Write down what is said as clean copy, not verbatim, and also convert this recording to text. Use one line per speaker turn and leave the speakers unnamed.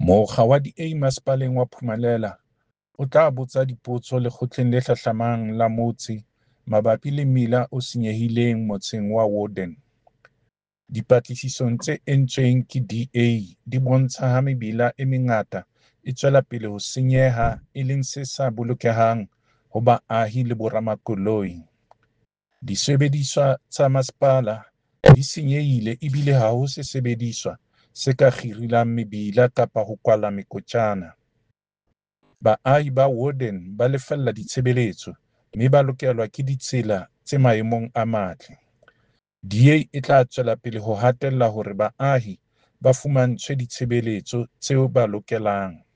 Mokga wa DA Masepaleng wa Phumelela o tla botsa dipotso lekgotleng le hlahlamang la motse mabapi le mmila o senyehileng motseng wa Woerden. Dipatlisisong tse entsweng ke DA di bontsha ha mebila e mengata e tswela pele ho senyeha e leng se sa bolokehang ho baahi le boramakoloi. Disebediswa tsa masepala di senyehile ebile ha ho sesebediswa se ka kgirilang mebila kapa ho kwala mekotjana. Baahi ba Woerden ba lefella ditshebeletso mme ba lokelwa ke ditsela tse maemong a matle. DA e tla tswela pele ho hatella hore baahi ba fumantshwe ditshebeletso tse ba lokelang.